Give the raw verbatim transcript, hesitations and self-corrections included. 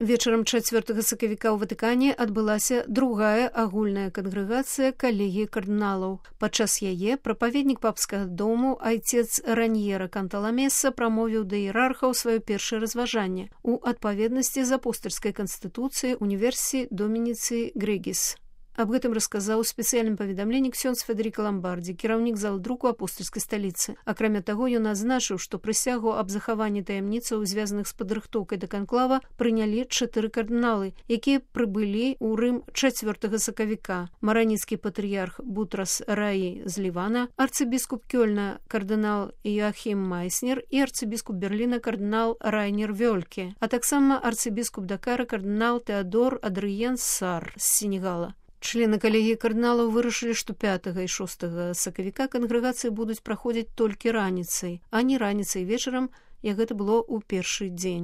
Вечарам чацвёртага сакавіка ў Ватыкане адбылася другая агульная кангрэгацыя калегіі кардыналаў. Падчас яе прапаведнік папскага дому айцец Раньера Канталамеса прамовіў да іерархаў сваё першае разважанне у адпаведнасці з апостальскай канстытуцыяй універсіі Домініцыі Грэгіс. Аб гэтым расказаў у спецыяльным паведамленні ксёндз Федэрыка Ламбардзі, кіраўнік зал друку апостальскай сталіцы. Акрамя таго, ён адзначыў, што прысягу аб захаванні таямніцаў, звязаных з падрыхтоўкай да канклава, прынялі чатыры кардыналы, якія прыбылі ў Рым чацвёртага сакавіка. Мараніцкі патрыярх Бутрас Раі з Лівана, арцыбіскуп Кёльна кардынал Йоахім Майснер і арцыбіскуп Берліна кардынал Райнер Вёльке, а таксама арцыбіскуп Дакара кардынал Тэадор Адрыен Сар з Сенегала. Члены калегіі кардыналаў вырашылі, што пятага і шостага сакавіка кангрэгацыі будуць праходзіць толькі раніцай, а не раніцай вечарам, як гэта было ў першы дзень.